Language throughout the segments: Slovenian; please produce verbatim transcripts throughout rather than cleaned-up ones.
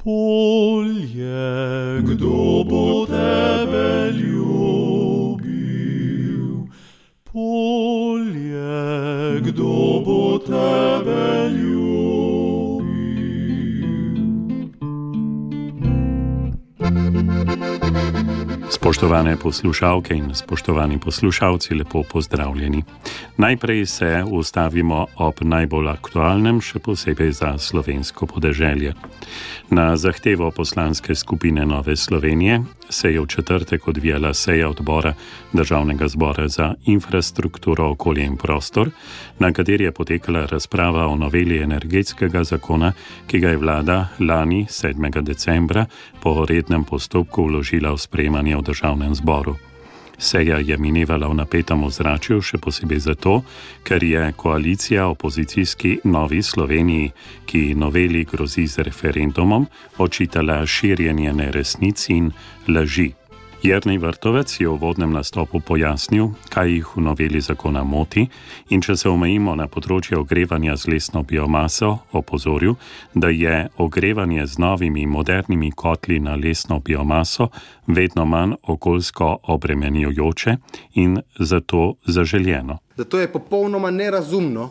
Polje, kdo bo tebe ljubil? Polje, kdo bo tebe ljubil? Spoštovane poslušalke in spoštovani poslušalci, lepo pozdravljeni. Najprej se ustavimo ob najbolj aktualnem, še posebej za slovensko podeželje. Na zahtevo poslanske skupine Nove Slovenije se je v četrtek odvijala seja odbora Državnega zbora za infrastrukturo, okolje in prostor, na kateri je potekala razprava o noveli energetskega zakona, ki ga je vlada lani sedmega decembra po rednem postopku vložila v sprejemanje v Državnem zboru. Seja je minevala v napetem ozračju, še posebej zato, ker je koalicija opozicijski Novi Sloveniji, ki noveli grozi z referendumom, očitala širjenje neresnic in laži. Jernej Vrtovec je v uvodnem nastopu pojasnil, kaj jih v noveli zakona moti, in če se omejimo na področje ogrevanja z lesno biomaso, opozoril, da je ogrevanje z novimi modernimi kotli na lesno biomaso vedno manj okoljsko obremenjujoče in zato zaželjeno. Zato je popolnoma nerazumno,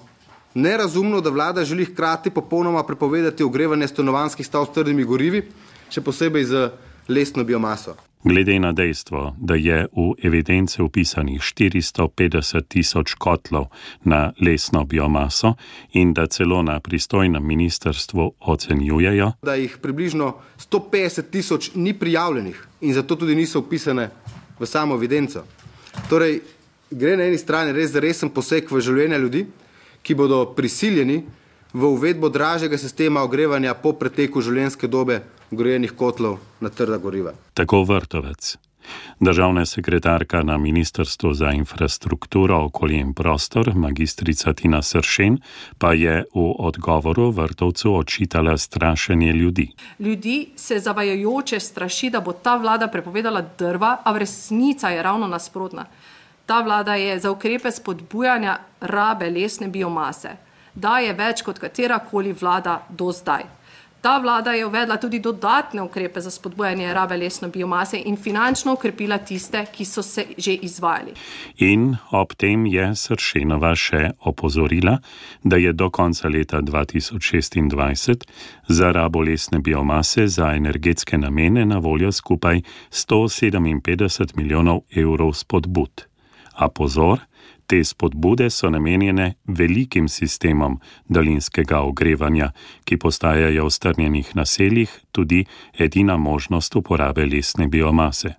nerazumno, da vlada želi hkrati popolnoma prepovedati ogrevanje stanovanjskih stavb s trdimi gorivi, še posebej z lesno biomaso. Glede na dejstvo, da je v evidence vpisanih štiristo petdeset tisoč kotlov na lesno biomaso in da celo na pristojnem ministrstvu ocenjujejo, da jih približno sto petdeset tisoč ni prijavljenih in zato tudi niso vpisane v samo evidenco. Torej, gre na eni strani res za resen poseg v življenje ljudi, ki bodo prisiljeni v uvedbo dražjega sistema ogrevanja po preteku življenjske dobe gorejenih kotlov na trda goriva. Tako Vrtovec. Državna sekretarka na Ministrstvu za infrastrukturo, okolje in prostor, magistrica Tina Sršen, pa je v odgovoru Vrtovcu očitala strašenje ljudi. Ljudi se zavajajoče straši, da bo ta vlada prepovedala drva, a v resnica je ravno nasprotna. Ta vlada je za ukrepe spodbujanja rabe lesne biomase. Daje več kot katerakoli vlada do zdaj. Ta vlada je uvedla tudi dodatne ukrepe za spodbujanje rabe lesne biomase in finančno ukrepila tiste, ki so se že izvajali. In ob tem je Sršenova še opozorila, da je do konca leta dva tisoč šestindvajset za rabo lesne biomase za energetske namene na voljo skupaj sto sedeminpetdeset milijonov evrov spodbud. A pozor, te spodbude so namenjene velikim sistemom daljinskega ogrevanja, ki postajajo v strnjenih naseljih tudi edina možnost uporabe lesne biomase.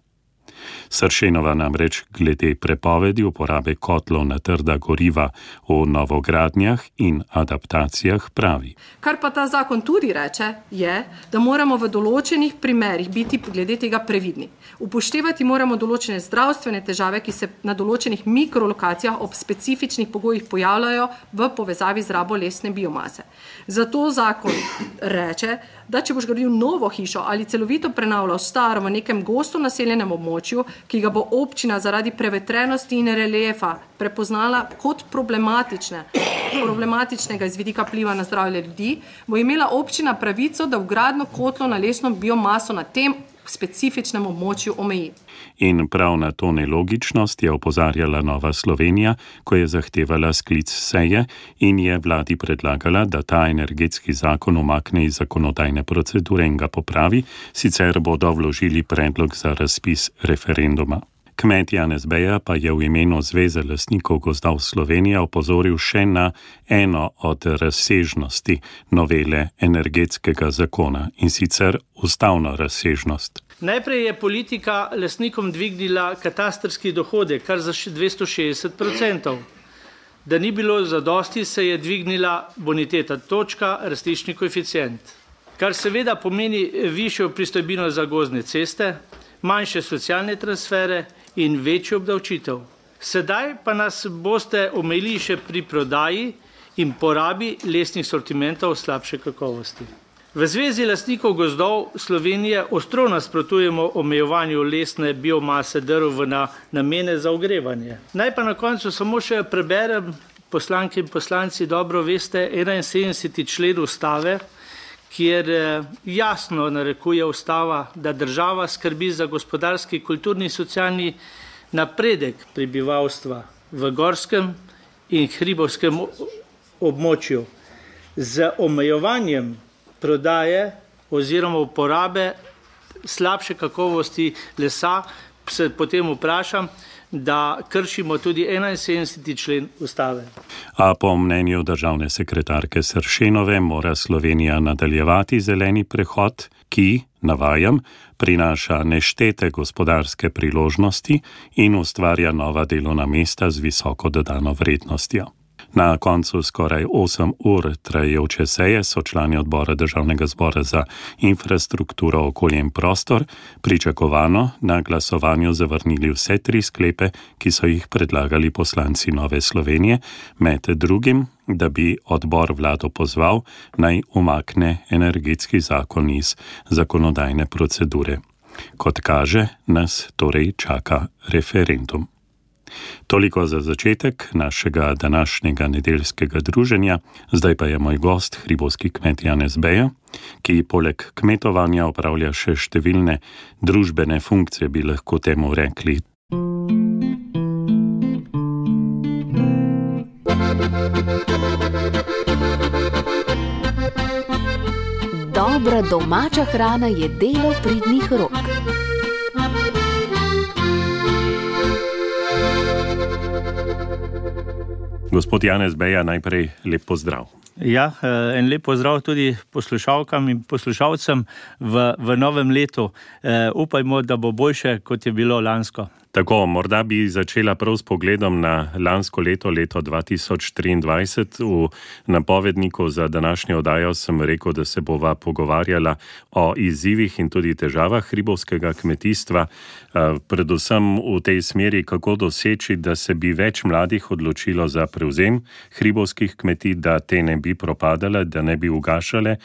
Sršenova namreč glede prepovedi uporabe kotlov na trda goriva v novogradnjah in adaptacijah pravi. Kar pa ta zakon tudi reče, je, da moramo v določenih primerih biti glede tega previdni. Upoštevati moramo določene zdravstvene težave, ki se na določenih mikrolokacijah ob specifičnih pogojih pojavljajo v povezavi z rabo lesne biomase. Zato zakon reče, da če boš gradil novo hišo ali celovito prenavljal staro v nekem gosto naseljenem območju, ki ga bo občina zaradi prevetrenosti in reliefa prepoznala kot problematične, problematičnega iz vidika vpliva na zdravje ljudi, bo imela občina pravico, da vgradnjo kotlov na lesno biomaso na tem specifičnem območju omeji. In prav na to nelogičnost je opozarjala Nova Slovenija, ko je zahtevala sklic seje in je vladi predlagala, da ta energetski zakon umakne iz zakonodajne procedure in ga popravi, sicer bodo vložili predlog za razpis referenduma. Kmet Janez Beja pa je v imenu Zveze lastnikov gozdov Slovenije opozoril še na eno od razsežnosti novele energetskega zakona, in sicer ustavno razsežnost. Najprej je politika lastnikom dvignila katastrski dohodek, kar za dvesto šestdeset procentov. Da ni bilo zadosti, se je dvignila boniteta točka, rastiščni koeficient, kar seveda pomeni višjo pristojbino za gozdne ceste, manjše socialne transfere in večjo obdavčitev. Sedaj pa nas boste omejili še pri prodaji in porabi lesnih sortimentov slabše kakovosti. V Zvezi lastnikov gozdov Slovenije ostro nasprotujemo omejevanju lesne biomase drv v na namene za ogrevanje. Naj pa na koncu samo še preberem, poslanke in poslanci dobro veste, enainsedemdeseti člen ustave, kjer jasno narekuje ustava, da država skrbi za gospodarski, kulturni in socialni napredek prebivalstva v gorskem in hribovskem območju z omejevanjem prodaje oziroma uporabe slabše kakovosti lesa, se potem vprašam, da kršimo tudi enainsedemdeseti člen ustave. A po mnenju državne sekretarke Sršenove mora Slovenija nadaljevati zeleni prehod, ki, navajam, prinaša neštete gospodarske priložnosti in ustvarja nova delovna mesta z visoko dodano vrednostjo. Na koncu skoraj osem ur trajajoče seje so člani odbora Državnega zbora za infrastrukturo, okolje in prostor pričakovano na glasovanju zavrnili vse tri sklepe, ki so jih predlagali poslanci Nove Slovenije, med drugim, da bi odbor vlado pozval, naj umakne energetski zakon iz zakonodajne procedure. Kot kaže, nas torej čaka referendum. Toliko za začetek našega današnjega nedeljskega druženja, zdaj pa je moj gost, hribovski kmet Janez Beja, ki poleg kmetovanja opravlja še številne družbene funkcije, bi lahko temu rekli. Dobra domača hrana je delo pridnih rok. Gospod Janez Beja, najprej lep pozdrav. Ja, en lep pozdrav tudi poslušalkam in poslušalcem v, v novem letu. E, upajmo, da bo boljše, kot je bilo lansko. Tako, morda bi začela prav s pogledom na lansko leto, leto dva tisoč triindvajset. V napovedniku za današnjo oddajo sem rekel, da se bova pogovarjala o izzivih in tudi težavah hribovskega kmetijstva, predvsem v tej smeri, kako doseči, da se bi več mladih odločilo za prevzem hribovskih kmetij, da te ne bi propadale, da ne bi ugašale,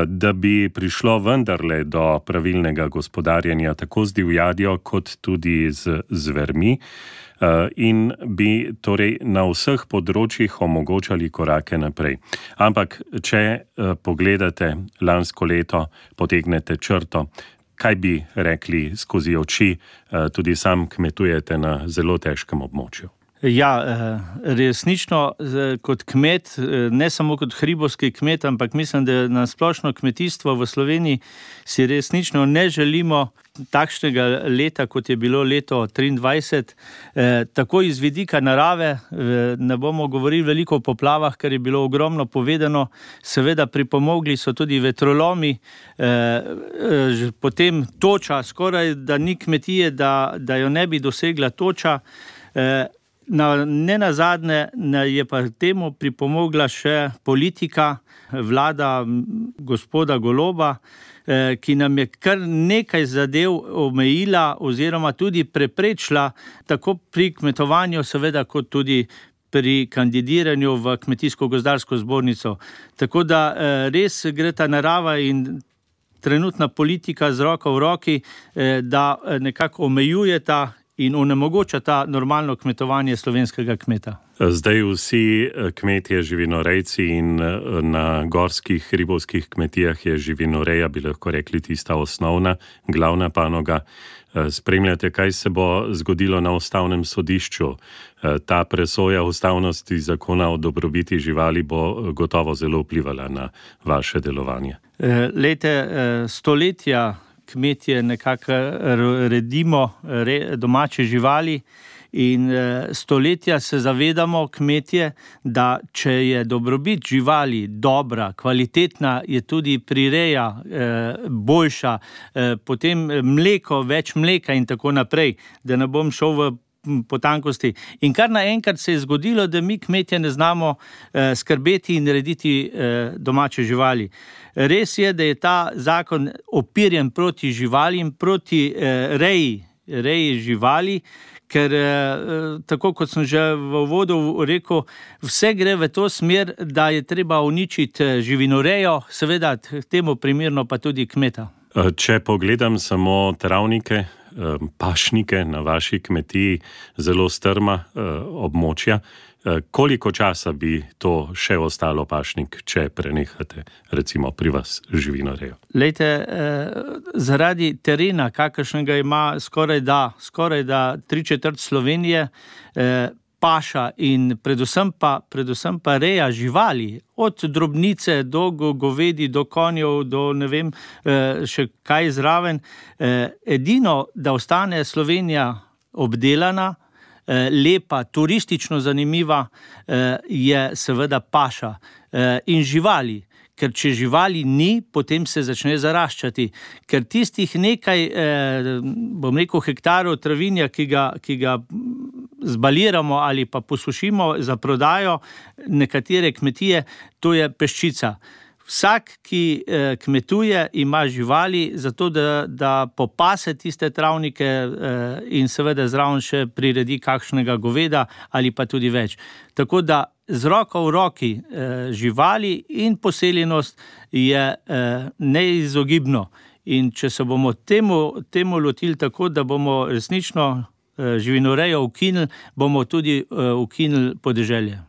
da bi prišlo vendarle do pravilnega gospodarjenja tako z divjadjo kot tudi z zvermi in bi torej na vseh področjih omogočali korake naprej. Ampak, če pogledate lansko leto, potegnete črto, kaj bi rekli skozi oči, tudi sam kmetujete na zelo težkem območju? Ja, resnično kot kmet, ne samo kot hribovski kmet, ampak mislim, da na splošno kmetijstvo v Sloveniji si resnično ne želimo takšnega leta, kot je bilo leto triindvajset. Tako iz vidika narave, ne bomo govorili veliko o poplavah, ker je bilo ogromno povedano, seveda pripomogli so tudi vetrolomi, potem toča, skoraj da ni kmetije, da, da jo ne bi dosegla toča. Na, ne nazadnje je pa temu pripomogla še politika, vlada gospoda Goloba, eh, ki nam je kar nekaj zadev omejila oziroma tudi preprečila tako pri kmetovanju, seveda kot tudi pri kandidiranju v Kmetijsko-gozdarsko zbornico. Tako da eh, res gre ta narava in trenutna politika z roko v roki, eh, da nekako omejujeta in onemogoča ta normalno kmetovanje slovenskega kmeta. Zdaj vsi kmetje, živinorejci in na gorskih hribovskih kmetijah je živinoreja, bi lahko rekli, tista osnovna, glavna panoga. Spremljate, kaj se bo zgodilo na ustavnem sodišču. Ta presoja ustavnosti zakona o dobrobiti živali bo gotovo zelo vplivala na vaše delovanje. Lejte, stoletja kmetje nekako redimo domače živali in stoletja se zavedamo kmetje, da če je dobrobit živali dobra, kvalitetna, je tudi prireja boljša, potem mleko, več mleka in tako naprej, da ne bom šel v potankosti. In kar naenkrat se je zgodilo, da mi kmetje ne znamo eh, skrbeti in narediti eh, domače živali. Res je, da je ta zakon opirjen proti živalim, proti eh, reji, reji živali, ker eh, tako kot sem že v uvodu rekel, vse gre v to smer, da je treba uničiti živinorejo, seveda temu primerno pa tudi kmeta. Če pogledam samo travnike, pašnike na vaši kmetiji, zelo strma območja, Koliko časa bi to še ostalo, pašnik, če prenehate recimo pri vas živinorejo? Lejte, zaradi terena, kakršnega ima skoraj da, skoraj da tri četrt Slovenije, paša in predvsem pa, predvsem pa reja živali, od drobnice do govedi, do konjev, do ne vem še kaj zraven. Edino, da ostane Slovenija obdelana, lepa, turistično zanimiva, je seveda paša in živali. Ker če živali ni, potem se začne zaraščati. Ker tistih nekaj, bom rekel, hektarov travinja, ki ga, ki ga zbaliramo ali pa posušimo za prodajo nekatere kmetije, to je peščica. Vsak, ki kmetuje, ima živali, zato da, da popase tiste travnike in seveda zraven še priredi kakšnega goveda ali pa tudi več. Tako da z roko v roki živali in poseljenost je neizogibno. In če se bomo temu, temu lotili tako, da bomo resnično živinorejo ukinili, bomo tudi ukinili podeželje.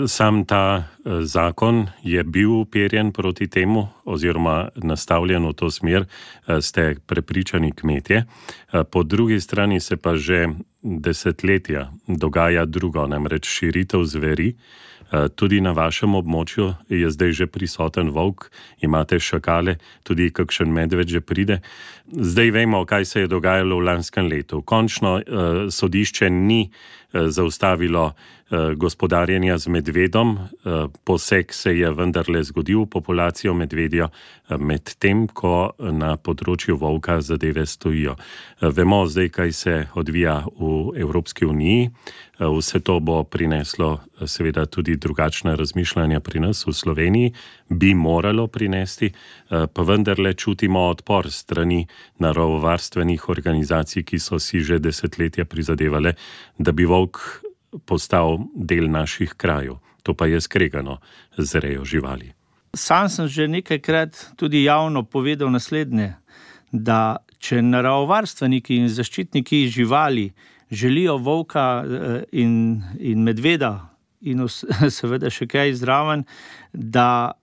Sam ta zakon je bil uperjen proti temu oziroma nastavljen v to smer, ste prepričani kmetje. Po drugi strani se pa že desetletja dogaja drugo, namreč širitev zveri. Tudi na vašem območju je zdaj že prisoten volk, imate šakale, tudi kakšen medved že pride. Zdaj vemo, kaj se je dogajalo v lanskem letu. Končno eh, sodišče ni eh, zaustavilo eh, gospodarjenja z medvedom, eh, poseg se je vendarle zgodil v populacijo medvedja, eh, med tem, ko na področju volka zadeve stojijo. Eh, vemo zdaj, kaj se odvija v Evropski uniji. Eh, vse to bo prineslo eh, seveda tudi drugačna razmišljanja pri nas v Sloveniji, bi moralo prinesti, eh, pa vendarle čutimo odpor strani naravovarstvenih organizacij, ki so si že desetletja prizadevale, da bi volk postal del naših krajev. To pa je skregano z rejo živali. Sam sem že nekajkrat tudi javno povedal naslednje, da če naravovarstveniki in zaščitniki živali želijo volka in, in medveda in seveda še kaj zraven, da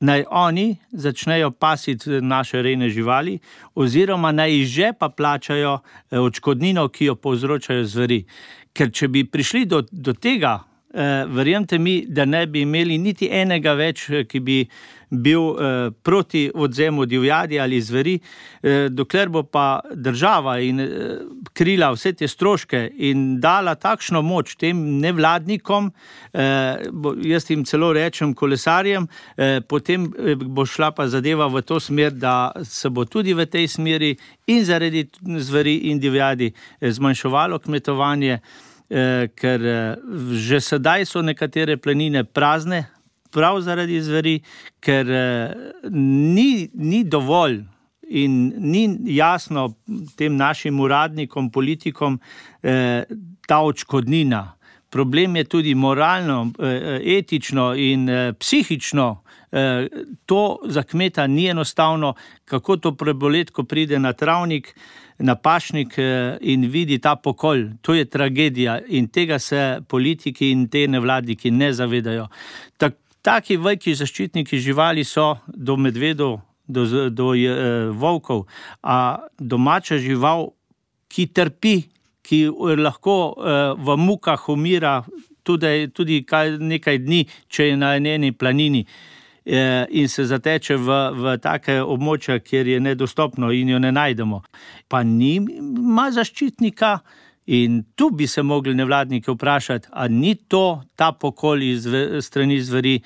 naj oni začnejo pasiti naše rejne živali oziroma naj iz žepa plačajo odškodnino, ki jo povzročajo zveri. Ker če bi prišli do, do tega, eh, verjemite mi, da ne bi imeli niti enega več, ki bi bil eh, proti odvzemu divjadi ali zveri, eh, dokler bo pa država in eh, krila vse te stroške in dala takšno moč tem nevladnikom, eh, bo, jaz jim celo rečem kolesarjem, eh, potem bo šla pa zadeva v to smer, da se bo tudi v tej smeri in zaradi zveri in divjadi eh, zmanjševalo kmetovanje, eh, ker eh, že sedaj so nekatere planine prazne, prav zaradi zveri, ker eh, ni, ni dovolj in ni jasno tem našim uradnikom, politikom eh, ta odškodnina. Problem je tudi moralno, eh, etično in eh, psihično. Eh, to za kmeta ni enostavno, kako to preboleti, ko pride na travnik, na pašnik eh, in vidi ta pokol. To je tragedija in tega se politiki in te nevladniki ne zavedajo. Tak, Taki veliki zaščitniki živali so do medvedov, do, do je, volkov, a domača žival, ki trpi, ki lahko eh, v mukah umira tudi, tudi kaj, nekaj dni, če je na eni planini eh, in se zateče v, v take območja, kjer je nedostopno in jo ne najdemo. Pa nima zaščitnika. In tu bi se mogli nevladniki vprašati, a ni to ta pokol iz strani zveri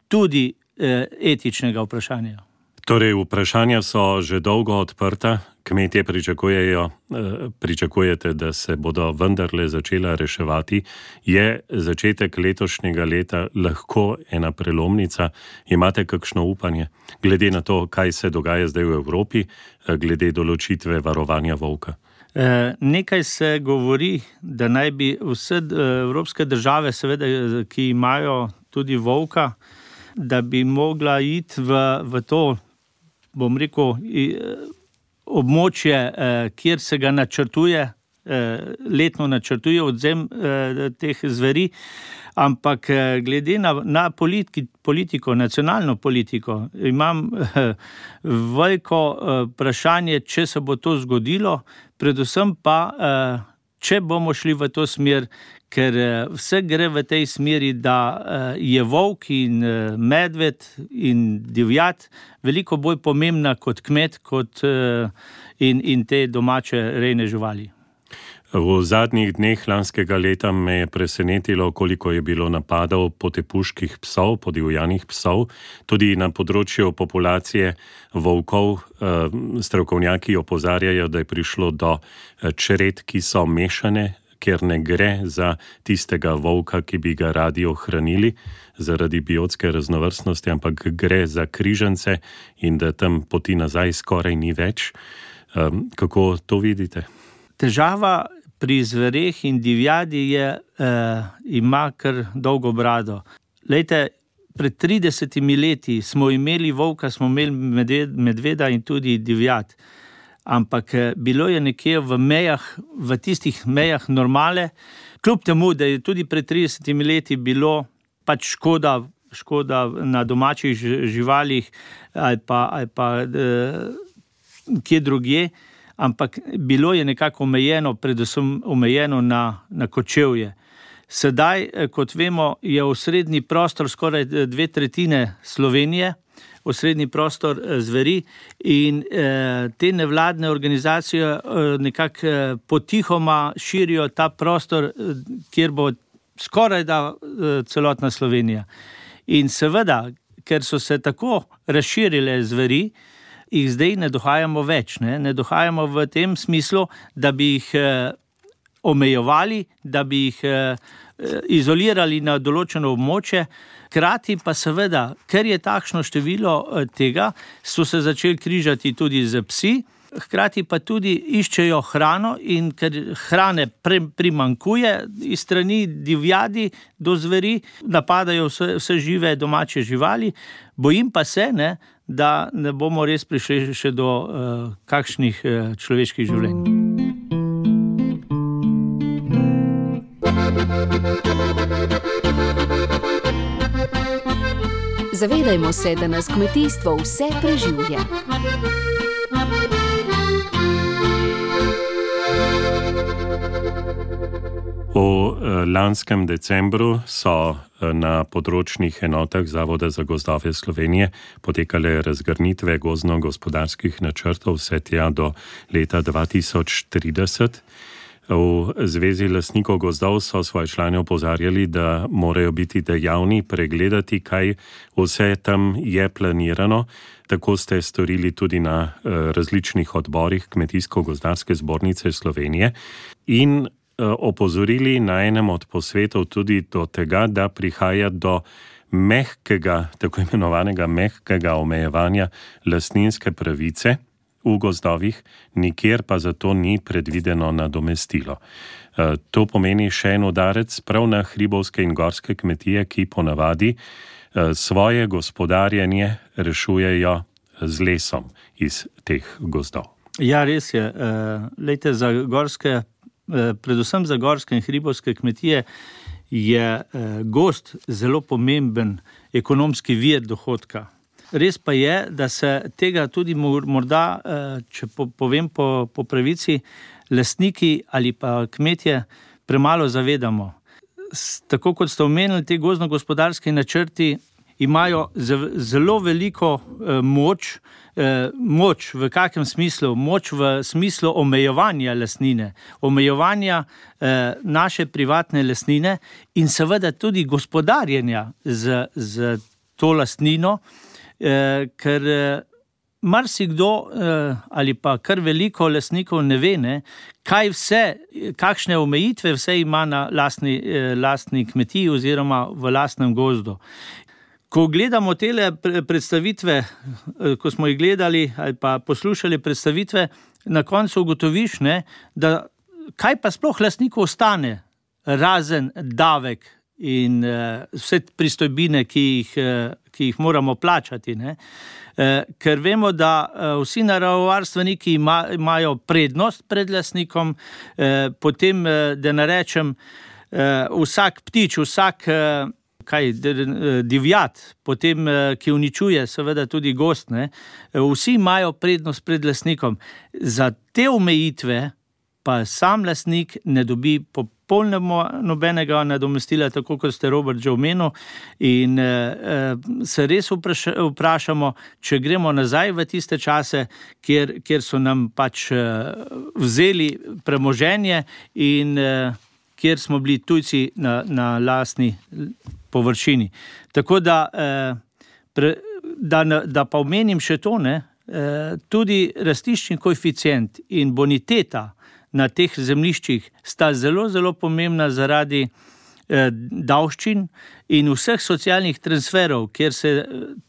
tudi eh, etičnega vprašanja. Torej, vprašanja so že dolgo odprta, kmetje pričakujejo, eh, pričakujete, da se bodo vendarle začela reševati. Je začetek letošnjega leta lahko ena prelomnica? Imate kakšno upanje, glede na to, kaj se dogaja zdaj v Evropi, eh, glede določitve varovanja volka? Eh, nekaj se govori, da naj bi vse evropske države, seveda, ki imajo tudi volka, da bi mogla iti v, v to, bom rekel, območje, eh, kjer se ga načrtuje letno načrtuje odzem teh zveri, ampak glede na, na politi, politiko, nacionalno politiko, imam veliko vprašanje, če se bo to zgodilo, predvsem pa, če bomo šli v to smer, ker vse gre v tej smeri, da je volk in medved in divjad veliko bolj pomembna kot kmet kot in, in te domače rejne živali. V zadnjih dneh lanskega leta me je presenetilo, koliko je bilo napadov potepuških psov, podivjanih psov, tudi na področju populacije volkov. Strokovnjaki opozarjajo, da je prišlo do čred, ki so mešane, ker ne gre za tistega volka, ki bi ga radi ohranili zaradi biotske raznovrstnosti, ampak gre za križance in da tam poti nazaj skoraj ni več. Kako to vidite? Težava pri zvereh in divjadi je, eh, ima kar dolgo brado. Lejte, pred tridesetimi leti smo imeli volka, smo imeli medveda in tudi divjad. Ampak bilo je nekje v mejah, v tistih mejah normale, kljub temu, da je tudi pred tridesetimi leti bilo pač škoda, škoda na domačih živalih ali pa, ali pa eh, kje drugje, ampak bilo je nekako omejeno, predvsem omejeno na, na kočevje. Sedaj, kot vemo, je osrednji prostor skoraj dve tretjine Slovenije, osrednji prostor zveri in eh, te nevladne organizacije eh, nekako eh, potihoma širijo ta prostor, eh, kjer bo skoraj da eh, celotna Slovenija. In seveda, ker so se tako razširile zveri, jih zdaj ne dohajamo več. Ne, ne dohajamo v tem smislu, da bi jih eh, omejevali, da bi jih eh, izolirali na določeno območje. Hkrati pa seveda, ker je takšno število tega, so se začeli križati tudi z psi, hkrati pa tudi iščejo hrano in ker hrane pre, primankuje iz strani divjadi do zveri, napadajo vse, vse žive domače živali, bojim pa se, ne, da ne bomo res prišli še do uh, kakšnih uh, človeških življenj. Zavedajmo se, da nas kmetijstvo vse preživlja. V lanskem decembru so na področnih enotah Zavoda za gozdove Slovenije potekale razgrnitve gozdno-gospodarskih načrtov vse tja do leta dva tisoč trideset. V Zvezi lastnikov gozdov so svoje člane opozarjali, da morajo biti dejavni, pregledati, kaj vse tam je planirano. Tako ste storili tudi na različnih odborih Kmetijsko-gozdarske zbornice Slovenije in opozorili na enem od posvetov tudi do tega, da prihaja do mehkega, tako imenovanega mehkega omejevanja lastninske pravice v gozdovih, nikjer pa zato ni predvideno nadomestilo. To pomeni še en udarec prav na hribovske in gorske kmetije, ki ponavadi svoje gospodarjenje rešujejo z lesom iz teh gozdov. Ja, res je. Lejte, za gorske, predvsem za gorske in hribovske kmetije je gozd zelo pomemben ekonomski vir dohodka. Res pa je, da se tega tudi morda, če povem po, po pravici, lastniki ali pa kmetje premalo zavedamo. Tako kot ste omenili, te gozdno-gospodarski načrti imajo zelo veliko moč, moč v kakem smislu? Moč v smislu omejevanja lastnine, omejevanja naše privatne lastnine in seveda tudi gospodarjenja z, z to lastnino, Eh, ker eh, marsikdo eh, ali pa kar veliko lastnikov ne ve, ne, kaj vse, kakšne omejitve vse ima na lastni, eh, lastni kmetiji oziroma v lastnem gozdu. Ko gledamo tele predstavitve, eh, ko smo jih gledali ali pa poslušali predstavitve, na koncu ugotoviš, ne, da kaj pa sploh lastniku ostane, razen davek in uh, vse pristojbine, ki jih, uh, ki ki jih moramo plačati, ne. Ker vemo, da vsi naravovarstveniki ima, imajo prednost pred lastnikom, potem, da ne rečem, vsak ptič, vsak kaj, divjat, potem, ki uničuje seveda tudi gost, ne, vsi imajo prednost pred lastnikom. Za te omejitve pa sam lastnik ne dobi popolnoma nobenega nadomestila, tako kot ste Robert že omenil, in eh, se res vpraša, vprašamo, če gremo nazaj v tiste čase, kjer, kjer so nam pač eh, vzeli premoženje in eh, kjer smo bili tujci na, na lastni površini. Tako da, eh, pre, da, da pa omenim še to, ne, eh, tudi rastiščni koeficient in boniteta na teh zemljiščih sta zelo, zelo pomembna zaradi eh, davščin in vseh socialnih transferov, kjer se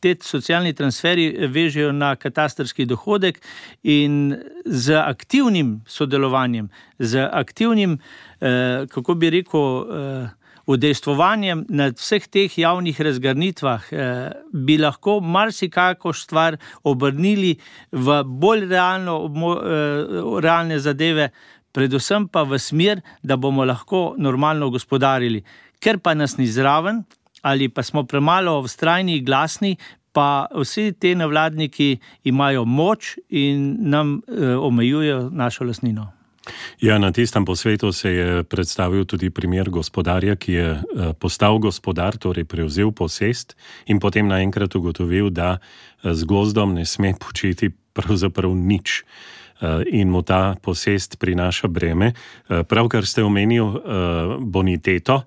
te socialni transferi vežejo na katastrski dohodek, in z aktivnim sodelovanjem, z aktivnim, eh, kako bi rekel, eh, udejstvovanjem na vseh teh javnih razgrnitvah eh, bi lahko marsikako stvar obrnili v bolj realno, eh, realne zadeve, predvsem pa v smer, da bomo lahko normalno gospodarili. Ker pa nas ni zraven ali pa smo premalo vztrajni, glasni, pa vsi te nevladniki imajo moč in nam eh, omejujejo našo lastnino. Ja, na tistem posvetu se je predstavil tudi primer gospodarja, ki je postal gospodar, torej prevzel posest in potem naenkrat ugotovil, da z gozdom ne sme početi pravzaprav nič in mu ta posest prinaša breme. Pravkar ste omenil boniteto,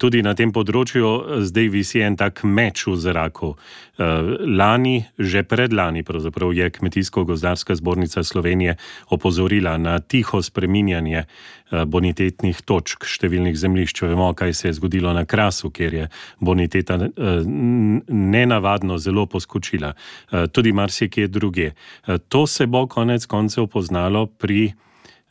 tudi na tem področju zdaj visi en tak meč v zraku. Lani, že predlani pravzaprav je Kmetijsko-gozdarska zbornica Slovenije opozorila na tiho spreminjanje bonitetnih točk številnih zemljišč. Vemo, kaj se je zgodilo na Krasu, kjer je boniteta nenavadno zelo poskočila. Tudi marsikje druge. To se bo konec koncev poznalo pri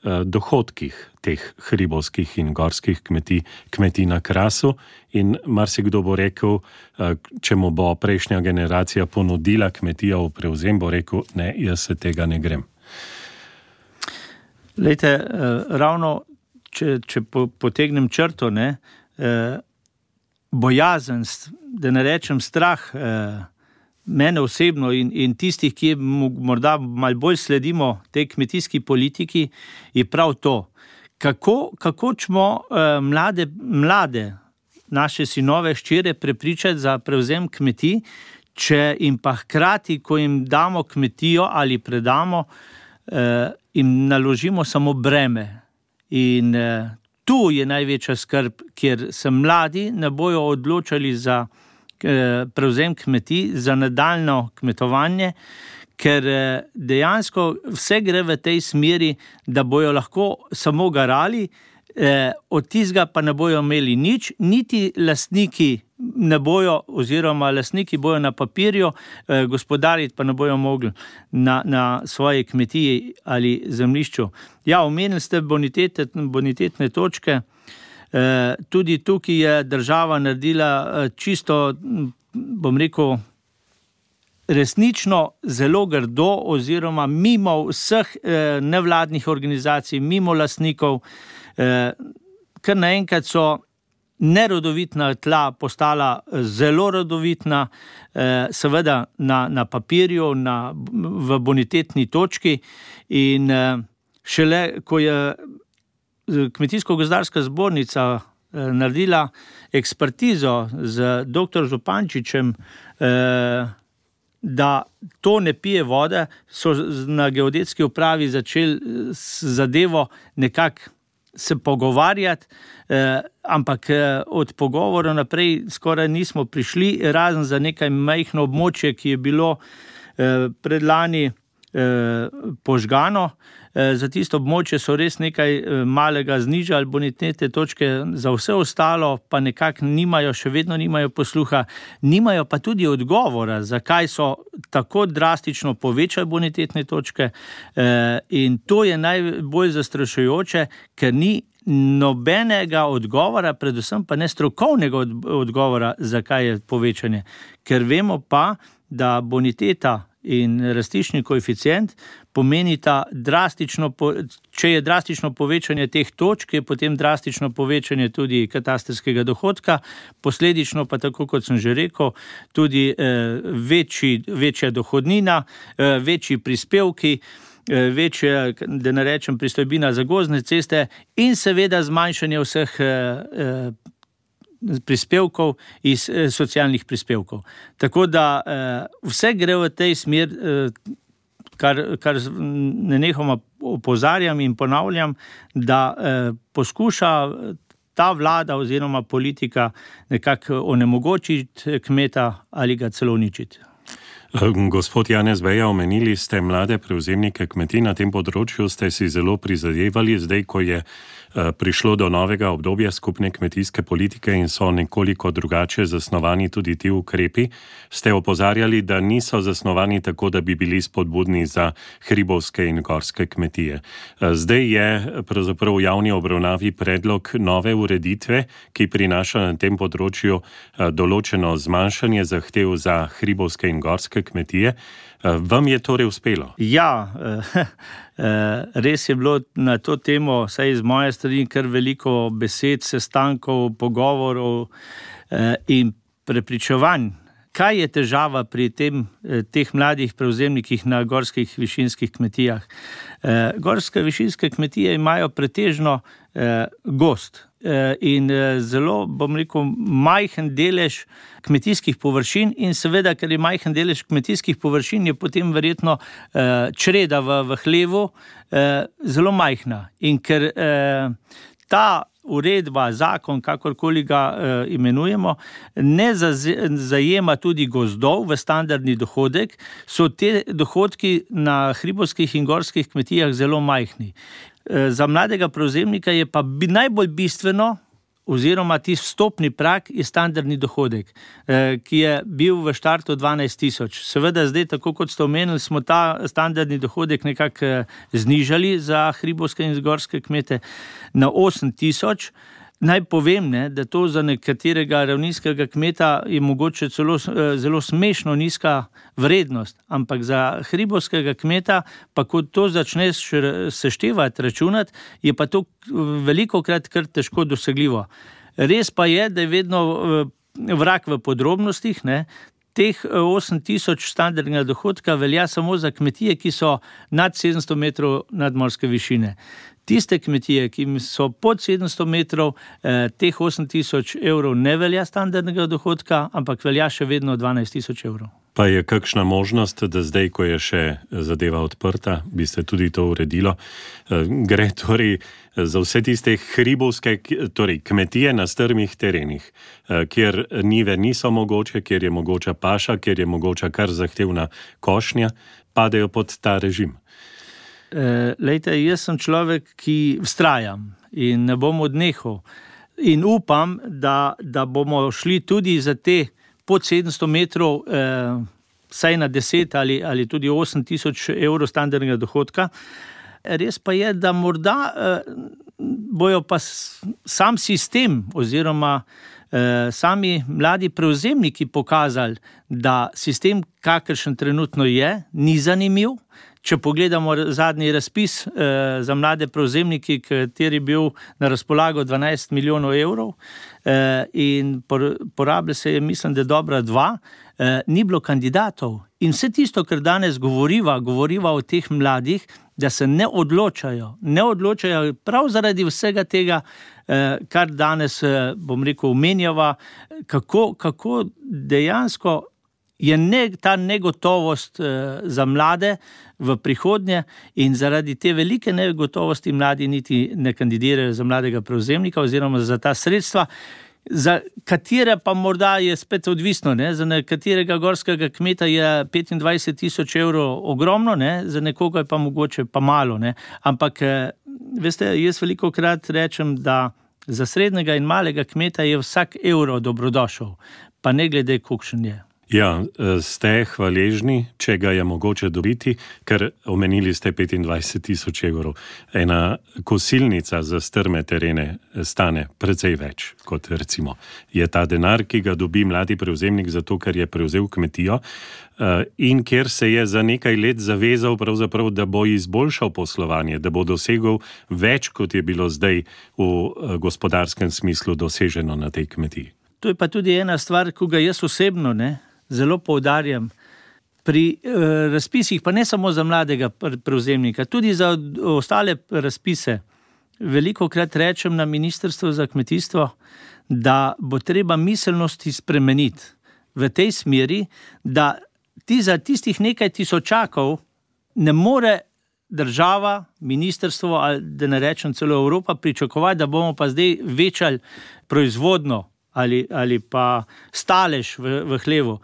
dohodkih teh hribovskih in gorskih kmetij, kmetij na Krasu, in marsikdo bo rekel, če mu bo prejšnja generacija ponudila kmetijo v prevzem, bo rekel, ne, jaz se tega ne grem. Lejte, ravno, če, če potegnem črto, ne, bojazen, da ne rečem strah, mene osebno in, in tistih, ki morda malo bolj sledimo tej kmetijski politiki, je prav to. Kako, kako ćemo eh, mlade, mlade, naše sinove, hčere prepričati za prevzem kmetij, če jim pa hkrati, ko jim damo kmetijo ali predamo, eh, jim naložimo samo breme. In eh, tu je največja skrb, kjer se mladi ne bojo odločali za prevzem kmetij, za nadaljno kmetovanje, ker dejansko vse gre v tej smeri, da bojo lahko samo garali, od tistega pa ne bojo imeli nič, niti lastniki ne bojo, oziroma lastniki bojo na papirju, gospodariti pa ne bojo mogli na, na svoje kmetiji ali zemljišču. Ja, omenili ste bonitete, bonitetne točke. Tudi tukaj je država naredila čisto, bom rekel, resnično zelo grdo, oziroma mimo vseh nevladnih organizacij, mimo lastnikov, ker naenkrat so nerodovitna tla postala zelo rodovitna, seveda na, na papirju, na, v bonitetni točki, in šele, ko je Kmetijsko-gozdarska zbornica eh, naredila ekspertizo z doktor Župančičem, eh, da to ne pije vode, so na geodetski upravi začeli zadevo nekako se pogovarjati, eh, ampak eh, od pogovora naprej skoraj nismo prišli, razen za nekaj majhno območje, ki je bilo eh, predlani eh, požgano. Za tisto območje so res nekaj malega znižali bonitete točke, za vse ostalo pa nekako nimajo, še vedno nimajo posluha, nimajo pa tudi odgovora, zakaj so tako drastično povečali bonitetne točke, in to je najbolj zastrašujoče, ker ni nobenega odgovora, predvsem pa ne strokovnega odgovora, zakaj je povečanje. Ker vemo pa, da boniteta in rastiščni koeficient pomenita drastično, če je drastično povečanje teh točk, je potem drastično povečanje tudi katastrskega dohodka, posledično pa, tako kot sem že rekel, tudi eh, večji, večja dohodnina, eh, večji prispevki, eh, večja, da ne rečem, pristojbina za gozdne ceste in seveda zmanjšanje vseh eh, prispevkov iz eh, socialnih prispevkov. Tako da eh, vse gre v tej smer, eh, kar, kar nenehoma opozarjam in ponavljam, da eh, poskuša ta vlada oziroma politika nekako onemogočiti kmeta ali ga celo uničiti. Gospod Janez Beja, omenili ste mlade prevzemnike kmetij, na tem področju ste si zelo prizadevali, zdaj, ko je prišlo do novega obdobja skupne kmetijske politike in so nekoliko drugače zasnovani tudi ti ukrepi, ste opozarjali, da niso zasnovani tako, da bi bili spodbudni za hribovske in gorske kmetije. Zdaj je pravzaprav v javni obravnavi predlog nove ureditve, ki prinaša na tem področju določeno zmanjšanje zahtev za hribovske in gorske kmetije. Vam je torej uspelo? Ja, res je bilo na to temo, saj iz moje strani, kar veliko besed, sestankov, pogovorov in prepričevanj. Kaj je težava pri tem, teh mladih prevzemnikih na gorskih višinskih kmetijah? Gorske višinske kmetije imajo pretežno gost in zelo, bom rekel, majhen delež kmetijskih površin in seveda, ker je majhen delež kmetijskih površin, je potem verjetno čreda v, v hlevu zelo majhna. In ker ta uredba, zakon, kakorkoli ga e, imenujemo, ne zajema tudi gozdov v standardni dohodek, so te dohodki na hribovskih in gorskih kmetijah zelo majhni. E, za mladega prevzemnika je pa bi, najbolj bistveno, oziroma ti vstopni prag je standardni dohodek, eh, ki je bil v štartu dvanajst tisoč. Seveda zdaj, tako kot ste omenili, smo ta standardni dohodek nekako znižali za hribovske in gorske kmete na osem tisoč. Naj povem, ne, da to za nekaterega ravninskega kmeta je mogoče celo zelo smešno nizka vrednost, ampak za hribovskega kmeta, pa ko to začneš seštevati, računati, je pa to velikokrat kar težko dosegljivo. Res pa je, da je vedno vrag v podrobnostih, ne. Teh osem tisoč standardnega dohodka velja samo za kmetije, ki so nad sedemsto metrov nadmorske višine. Tiste kmetije, ki so pod sedemsto metrov, eh, teh osem tisoč evrov ne velja standardnega dohodka, ampak velja še vedno dvanajst tisoč evrov. Pa je kakšna možnost, da zdaj, ko je še zadeva odprta, bi se tudi to uredilo? Gre torej za vse tiste hribovske, torej kmetije na strmih terenih, kjer njive niso mogoče, kjer je mogoča paša, kjer je mogoča kar zahtevna košnja, padejo pod ta režim. E, lejte, jaz sem človek, ki vztrajam in ne bom odnehal. In upam, da, da bomo šli tudi za te pod sedemsto metrov, eh, saj na deset ali, ali tudi osem tisoč evrov standardnega dohodka. Res pa je, da morda eh, bojo pa sam sistem oziroma eh, sami mladi prevzemniki pokazali, da sistem, kakršen trenutno je, ni zanimiv. Če pogledamo zadnji razpis eh, za mlade prevzemniki, kateri je bil na razpolago dvanajst milijonov evrov eh, in por, porablja se je, mislim, da dobra dva, eh, ni bilo kandidatov. In vse tisto, kar danes govoriva, govoriva o teh mladih, da se ne odločajo. Ne odločajo prav zaradi vsega tega, eh, kar danes, eh, bom rekel, omenjava, kako, kako dejansko je ne, ta negotovost eh, za mlade v prihodnje in zaradi te velike negotovosti mladi niti ne kandidirajo za mladega prevzemnika oziroma za ta sredstva, za katere pa morda je spet odvisno. Ne? Za nekaterega gorskega kmeta je petindvajset tisoč evrov ogromno, ne? Za nekoga je pa mogoče pa malo. Ne? Ampak, eh, veste, jaz veliko krat rečem, da za srednjega in malega kmeta je vsak evro dobrodošel, pa ne glede, kolikšen je. Ja, ste hvaležni, če ga je mogoče dobiti, ker omenili ste petindvajset tisoč evrov. Ena kosilnica za strme terene stane precej več, kot recimo je ta denar, ki ga dobi mladi prevzemnik zato, ker je prevzel kmetijo in ker se je za nekaj let zavezal pravzaprav, da bo izboljšal poslovanje, da bo dosegel več, kot je bilo zdaj v gospodarskem smislu doseženo na tej kmetiji. To je pa tudi ena stvar, ko ga jaz osebno, ne, zelo poudarjam. Pri eh, razpisih, pa ne samo za mladega prevzemnika, tudi za ostale razpise, velikokrat rečem na Ministrstvu za kmetijstvo, da bo treba miselnosti spremeniti v tej smeri, da ti za tistih nekaj tisočakov ne more država, ministrstvo ali da ne rečem celo Evropa pričakovati, da bomo pa zdaj večali proizvodno ali, ali pa stalež v, v hlevu.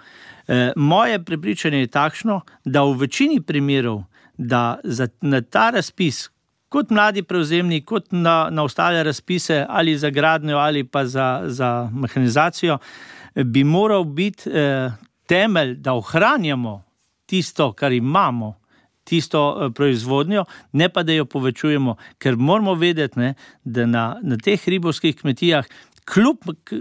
E, moje prepričanje je takšno, da v večini primerov, da za, na ta razpis, kot mladi prevzemnik, kot na, na ostale razpise ali za gradnjo ali pa za, za mehanizacijo, bi moral biti eh, temelj, da ohranjamo tisto, kar imamo, tisto eh, proizvodnjo, ne pa da jo povečujemo, ker moramo vedeti, ne, da na, na teh hribovskih kmetijah kljub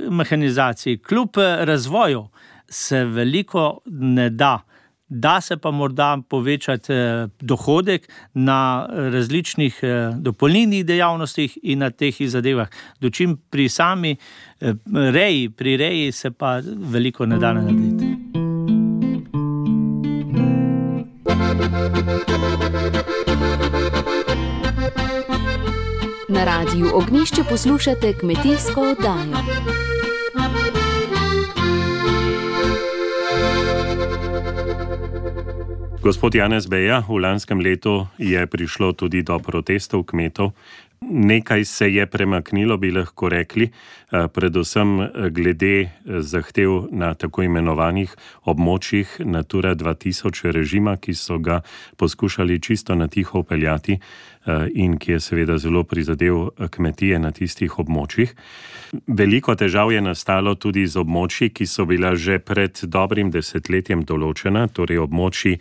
mehanizaciji, kljub razvoju se veliko ne da. Da se pa morda povečati dohodek na različnih dopolnilnih dejavnostih in na teh zadevah. Dočim pri sami reji, pri reji se pa veliko ne da narediti. Na Radiu Ognjišče poslušate kmetijsko oddajo. Gospod Janez Beja, v lanskem letu je prišlo tudi do protestov kmetov. Nekaj se je premaknilo, bi lahko rekli, predvsem glede zahtev na tako imenovanih območjih Natura dva tisoč režima, ki so ga poskušali čisto na tiho upeljati in ki je seveda zelo prizadel kmetije na tistih območjih. Veliko težav je nastalo tudi z območji, ki so bila že pred dobrim desetletjem določena, torej območji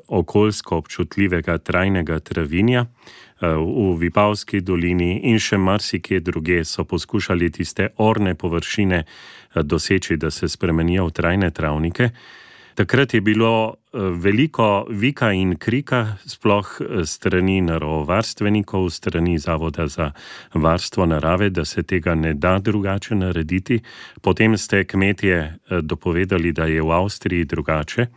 okoljsko občutljivega trajnega travinja. V Vipavski dolini in še marsikje druge so poskušali tiste orne površine doseči, da se spremenijo v trajne travnike. Takrat je bilo veliko vika in krika, sploh strani naravovarstvenikov, strani Zavoda za varstvo narave, da se tega ne da drugače narediti. Potem ste kmetje dopovedali, da je v Avstriji drugače.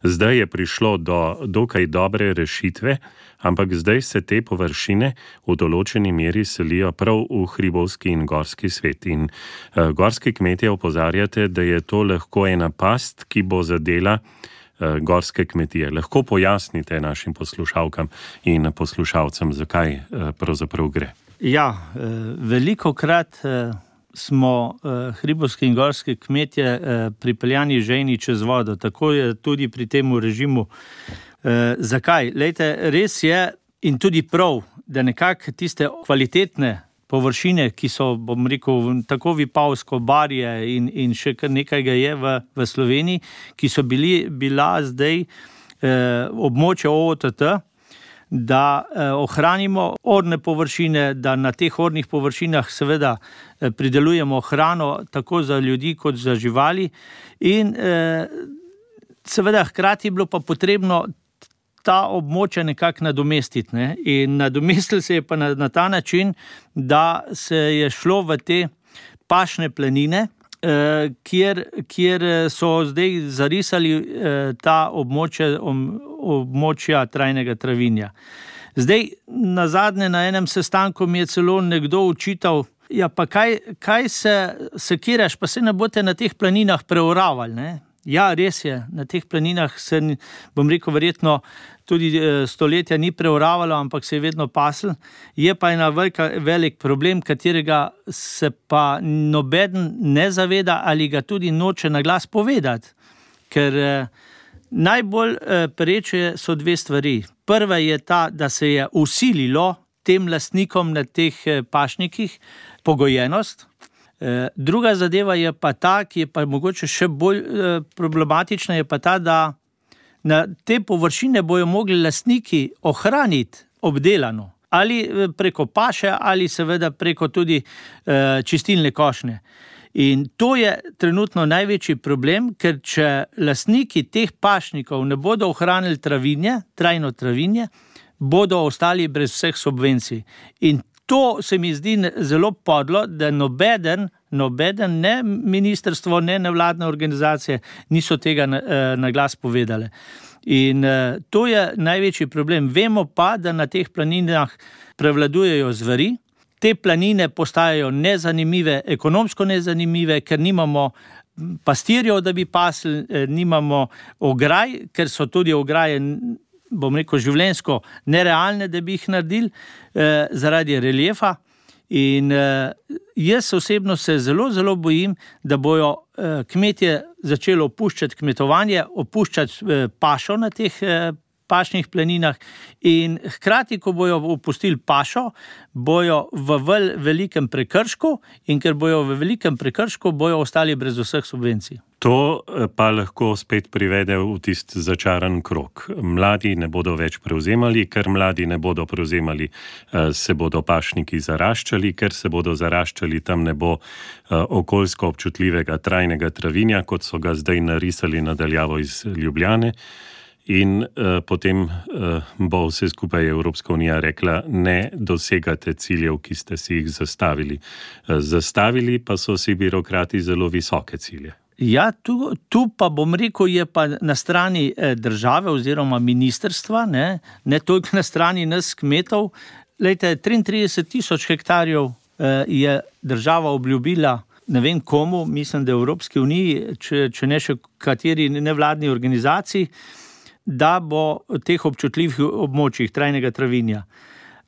Zdaj je prišlo do dokaj dobre rešitve, ampak zdaj se te površine v določeni meri selijo prav v hribovski in gorski svet. In uh, gorski kmetje opozarjate, da je to lahko ena past, ki bo zadela uh, gorske kmetije. Lahko pojasnite našim poslušalkam in poslušalcem, zakaj uh, pravzaprav gre. Ja, uh, veliko krat uh... smo uh, hribovski in gorski kmetje uh, pripeljani žejni čez vodo. Tako je tudi pri tem režimu. Uh, zakaj? Lejte, res je in tudi prav, da nekako tiste kvalitetne površine, ki so, bom rekel, tako Vipavsko, Barje in, in še kar nekaj ga je v, v Sloveniji, ki so bili, bila zdaj uh, območje O O T T, da eh, ohranimo orne površine, da na teh ornih površinah seveda eh, pridelujemo hrano tako za ljudi kot za živali in eh, seveda hkrati je bilo pa potrebno ta območja nekako nadomestiti. Ne? In nadomestili se je pa na, na ta način, da se je šlo v te pašne planine, eh, kjer, kjer so zdaj zarisali eh, ta območja om, območja trajnega travinja. Zdaj, nazadnje na enem sestanku mi je celo nekdo učital, ja pa kaj, kaj se sekiraš, pa se ne boste na teh planinah preoravali, ne? Ja, res je, na teh planinah se, bom rekel, verjetno tudi stoletja ni preoravalo, ampak se je vedno pasl. Je pa ena velika, velik problem, katerega se pa nobeden ne zaveda ali ga tudi noče na glas povedati, ker najbolj pereče so dve stvari. Prva je ta, da se je usililo tem lastnikom na teh pašnikih pogojenost. Druga zadeva je pa ta, ki je pa mogoče še bolj problematična, je pa ta, da na te površine bojo mogli lastniki ohraniti obdelano. Ali preko paše, ali seveda preko tudi čistilne košnje. In to je trenutno največji problem, ker če lastniki teh pašnikov ne bodo ohranili travinje, trajno travinje, bodo ostali brez vseh subvencij. In to se mi zdi zelo podlo, da nobeden, nobeden, ne ministrstvo, ne nevladne organizacije niso tega na, na glas povedale. In to je največji problem. Vemo pa, da na teh planinah prevladujejo zveri. Te planine postajajo nezanimive, ekonomsko nezanimive, ker nimamo pastirjev, da bi pasli, nimamo ograj, ker so tudi ograje, bom rekel, življenjsko nerealne, da bi jih naredili eh, zaradi reliefa. In eh, jaz osebno se zelo, zelo bojim, da bojo eh, kmetje začeli opuščati kmetovanje, opuščati eh, pašo na teh eh, pašnih planinah in hkrati, ko bojo opustili pašo, bojo v vel, velikem prekršku in ker bojo v velikem prekršku, bojo ostali brez vseh subvencij. To pa lahko spet privede v tist začaran krog. Mladi ne bodo več prevzemali, ker mladi ne bodo prevzemali, se bodo pašniki zaraščali, ker se bodo zaraščali, tam ne bo okoljsko občutljivega trajnega travinja, kot so ga zdaj narisali nadaljavo iz Ljubljane. In uh, potem uh, bo vse skupaj Evropska unija rekla, ne dosegate ciljev, ki ste si jih zastavili. Uh, zastavili pa so si birokrati zelo visoke cilje. Ja, tu, tu pa bom rekel, je pa na strani eh, države oziroma ministrstva, ne, ne toliko na strani nas kmetov. Lejte, triintrideset tisoč hektarjev eh, je država obljubila, ne vem komu, mislim, da Evropski uniji, če, če ne še kateri nevladni organizaciji, da bo teh občutljivih območjih trajnega travinja.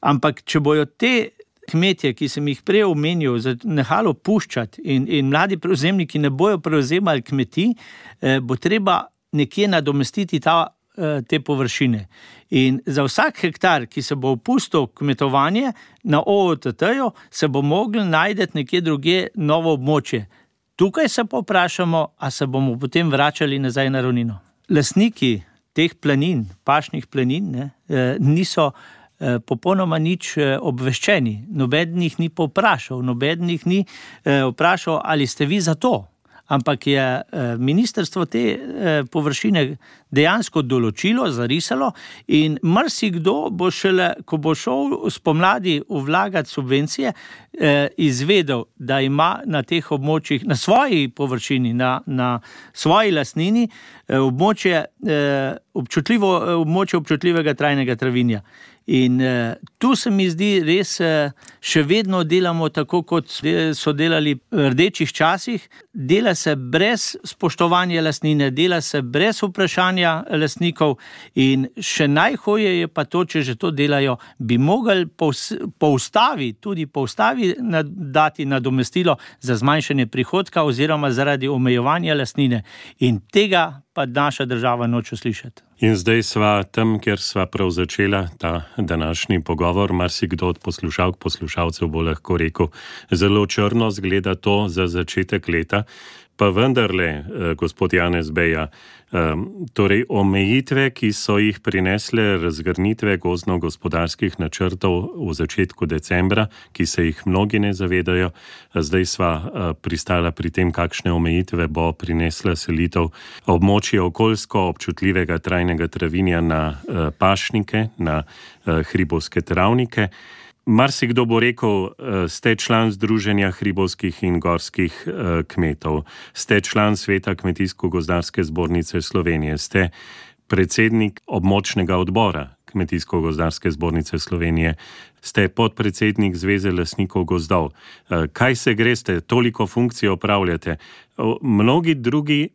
Ampak, če bojo te kmetje, ki sem jih prej omenil, nehalo puščati in, in mladi prevzemniki ne bojo prevzemali kmetij, eh, bo treba nekje nadomestiti ta, eh, te površine. In za vsak hektar, ki se bo opustil kmetovanje na O O T T-ju, se bo mogli najti nekje drugje novo območje. Tukaj se pa vprašamo, a se bomo potem vračali nazaj na ravnino. Lastniki teh planin, pašnih planin, ne, niso popolnoma nič obveščeni. Noben jih ni povprašal, noben jih ni vprašal, ali ste vi za to. Ampak je ministrstvo te površine dejansko določilo, zarisalo in marsikdo bo šele, ko bo šel spomladi vlagati subvencije, izvedel, da ima na teh območjih, na svoji površini, na, na svoji lastnini, območje, občutljivo, območje občutljivega trajnega travinja. In eh, tu se mi zdi res, eh, še vedno delamo tako, kot so delali v rdečih časih, dela se brez spoštovanja lastnine, dela se brez vprašanja lastnikov in še najhoje je pa to, če že to delajo, bi mogli po, po ustavi, tudi po ustavi dati nadomestilo za zmanjšanje prihodka oziroma zaradi omejevanja lastnine in tega pa naša država noče slišati. In zdaj sva tam, kjer sva prav začela ta današnji pogovor, marsikdo od poslušalk, poslušalcev bo lahko rekel, zelo črno zgleda to za začetek leta, pa vendarle, gospod Janez Beja, torej omejitve, ki so jih prinesle razgrnitve gozdno-gospodarskih načrtov v začetku decembra, ki se jih mnogi ne zavedajo, zdaj sva pristala pri tem, kakšne omejitve bo prinesla selitev območja okoljsko občutljivega trajnega travinja na pašnike, na hribovske travnike. Marsikdo bo rekel, ste član Združenja hribovskih in gorskih kmetov, ste član Sveta Kmetijsko-gozdarske zbornice Slovenije, ste predsednik območnega odbora Kmetijsko-gozdarske zbornice Slovenije, ste podpredsednik Zveze lastnikov gozdov. Kaj se greste, toliko funkcij opravljate? Mnogi drugi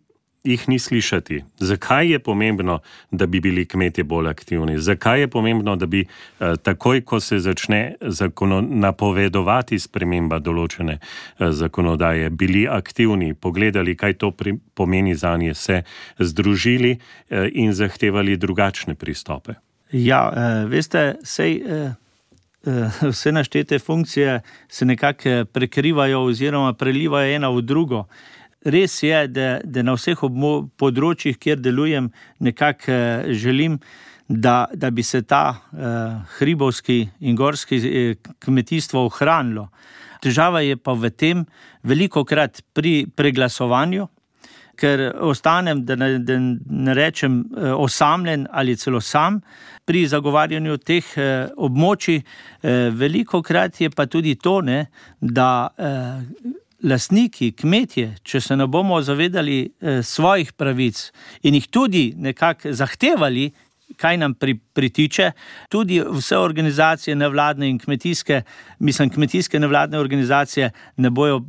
jih ni slišati. Zakaj je pomembno, da bi bili kmetje bolj aktivni? Zakaj je pomembno, da bi eh, takoj, ko se začne zakono, napovedovati sprememba določene eh, zakonodaje, bili aktivni, pogledali, kaj to pri, pomeni zanje, se združili eh, in zahtevali drugačne pristope? Ja, eh, veste, sej, eh, vse naštete funkcije se nekako prekrivajo oziroma prelivajo ena v drugo. Res je, da, da na vseh področjih, kjer delujem, nekako želim, da, da bi se ta eh, hribovski in gorski kmetijstvo ohranilo. Težava je pa v tem velikokrat pri preglasovanju, ker ostanem, da ne, da ne rečem osamljen ali celo sam pri zagovarjanju teh eh, območij. Eh, velikokrat je pa tudi to, ne, da eh, lastniki, kmetje, če se ne bomo zavedali eh, svojih pravic in jih tudi nekako zahtevali, kaj nam pri, pritiče, tudi vse organizacije nevladne in kmetijske, mislim, kmetijske nevladne organizacije ne bojo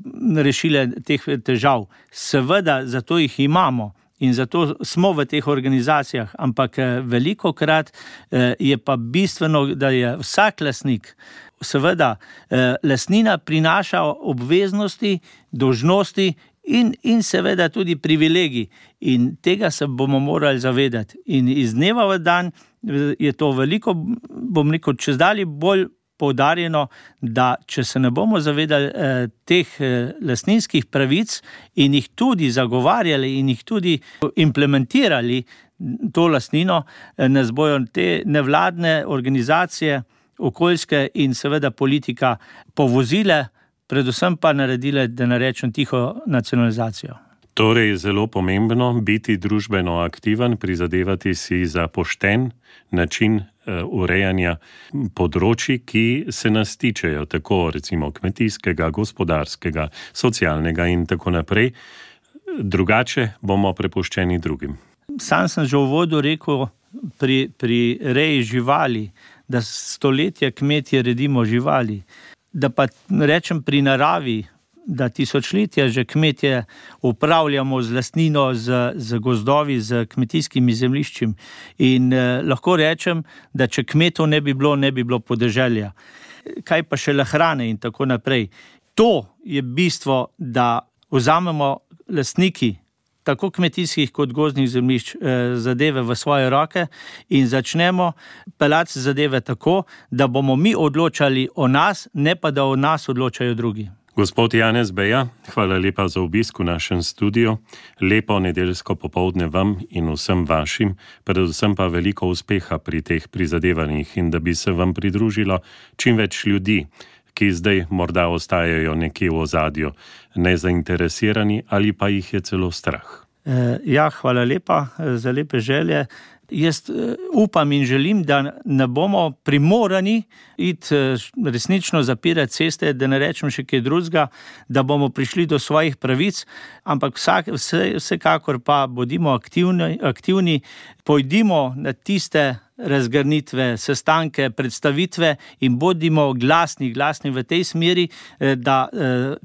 rešile teh težav. Seveda, zato jih imamo in zato smo v teh organizacijah, ampak velikokrat eh, je pa bistveno, da je vsak lastnik, seveda, eh, lastnina prinaša obveznosti, dolžnosti in, in seveda tudi privilegij. In tega se bomo morali zavedati. In iz dneva v dan je to veliko, bom rekel, čezdalje bolj poudarjeno, da če se ne bomo zavedali eh, teh eh, lastninskih pravic in jih tudi zagovarjali in jih tudi implementirali to lastnino, eh, nas bojo te nevladne organizacije, okoljske in seveda politika povozile, predvsem pa naredile, da ne rečem tiho, nacionalizacijo. Torej je zelo pomembno biti družbeno aktiven, prizadevati si za pošten način uh, urejanja področji, ki se nas tičejo, tako recimo kmetijskega, gospodarskega, socialnega in tako naprej. Drugače bomo prepuščeni drugim. Sam sem že v uvodu rekel pri, pri reji živali, da stoletja kmetje redimo živali, da pa rečem pri naravi, da tisočletja že kmetje upravljamo z lastnino, z, z gozdovi, z kmetijskimi zemljiščem. In eh, lahko rečem, da če kmetov ne bi bilo, ne bi bilo podeželja. Kaj pa šele hrane in tako naprej. To je bistvo, da vzamemo lastniki tako kmetijskih kot gozdnih zemljišč eh, zadeve v svoje roke in začnemo peljati zadeve tako, da bomo mi odločali o nas, ne pa da o nas odločajo drugi. Gospod Janez Beja, hvala lepa za obisk v našem studiu. Lepo nedeljsko popoldne vam in vsem vašim, predvsem pa veliko uspeha pri teh prizadevanjih in da bi se vam pridružilo čim več ljudi, ki zdaj morda ostajajo nekje v ozadju, nezainteresirani ali pa jih je celo strah. E, ja, hvala lepa za lepe želje. Jaz upam in želim, da ne bomo primorani iti resnično zapirati ceste, da ne rečem še kaj drugega, da bomo prišli do svojih pravic, ampak vsak, vse, vsekakor pa bodimo aktivni, aktivni, pojdimo na tiste razgrnitve, sestanke, predstavitve in bodimo glasni, glasni v tej smeri, da,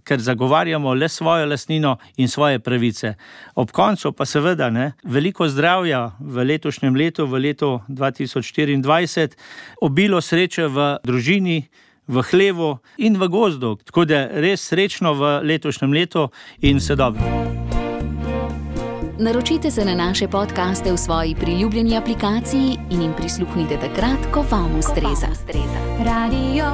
ker zagovarjamo le svojo lastnino in svoje pravice. Ob koncu pa seveda ne, veliko zdravja v letošnjem letu, v letu dva tisoč štiriindvajset, obilo sreče v družini, v hlevu in v gozdu. Tako da res srečno v letošnjem letu in vse dobro. Naročite se na naše podcaste v svoji priljubljeni aplikaciji in jim prisluhnite takrat, ko vam ustreza. Radio